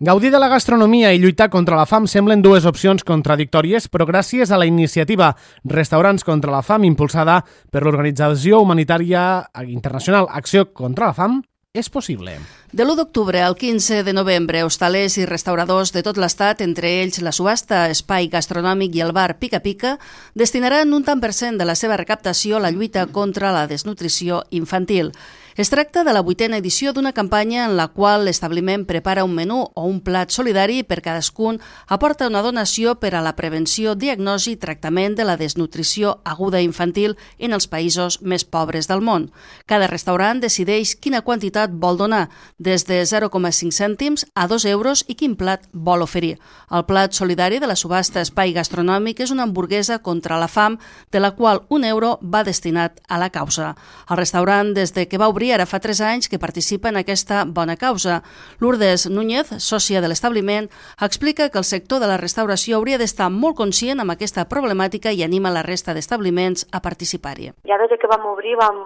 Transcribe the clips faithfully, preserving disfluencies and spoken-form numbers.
Gaudir de la gastronomia i lluitar contra la fam semblen dues opcions contradictòries, però gràcies a la iniciativa Restaurants contra la Fam, impulsada per l'organització humanitària internacional Acció contra la Fam, és possible. De l'u d'octubre al quinze de novembre, hostalers i restauradors de tot l'Estat, entre ells la subhasta Espai Gastronòmic i el bar Pica Pica, destinaran un tant per cent de la seva recaptació a la lluita contra la desnutrició infantil. Es tracta de la vuitena edició d'una campanya en la qual l'establiment prepara un menú o un plat solidari i per cadascun aporta una donació per a la prevenció, diagnosi i tractament de la desnutrició aguda infantil en els països més pobres del món. Cada restaurant decideix quina quantitat vol donar, des de zero coma cinc cèntims a dos euros i quin plat vol oferir. El plat solidari de la subhasta Espai Gastronòmic és una hamburguesa contra la fam, de la qual un euro va destinat a la causa. El restaurant, des de que va obrir ara fa tres anys que participa en aquesta bona causa. Lourdes Núñez, sòcia de l'establiment, explica que el sector de la restauració hauria d'estar molt conscient amb aquesta problemàtica i anima la resta d'establiments a participar-hi. Ja des que vam obrir vam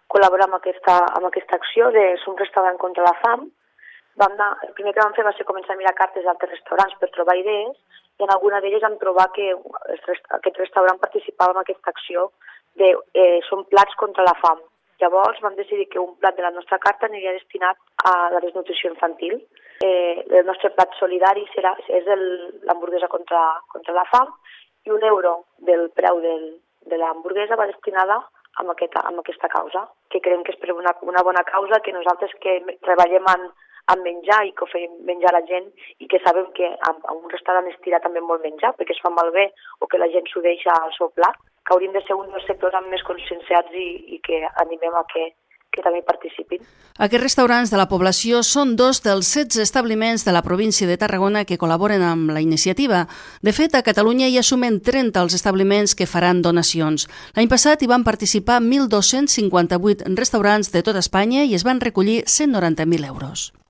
col·laborar amb aquesta, amb aquesta acció de Som Restaurant contra la Fam. Vam anar, el primer que vam fer va ser començar a mirar cartes d'altres restaurants per trobar idees i en alguna d'elles vam trobar que aquest restaurant participava en aquesta acció de eh, Som Plats contra la Fam. Llavors vam decidir que un plat de la nostra carta aniria destinat a la desnutrició infantil. Eh, el nostre plat solidari serà, és l'hamburguesa contra, contra la fam i un euro del preu del, de l'hamburguesa va destinada a aquesta, a aquesta causa, que creiem que és per una, una bona causa, que nosaltres que treballem en, en menjar i que oferim menjar a la gent i que sabem que a, a un restaurant es tira també molt menjar perquè es fa malbé o que la gent s'ho deixa al seu plat, que hauríem de ser un dels sectors amb més conscienciats i, i que animem a que, que també participin. Aquests restaurants de la població són dos dels setze establiments de la província de Tarragona que col·laboren amb la iniciativa. De fet, a Catalunya hi ha sumen trenta els establiments que faran donacions. L'any passat hi van participar mil dos-cents cinquanta-vuit restaurants de tot Espanya i es van recollir cent noranta mil euros.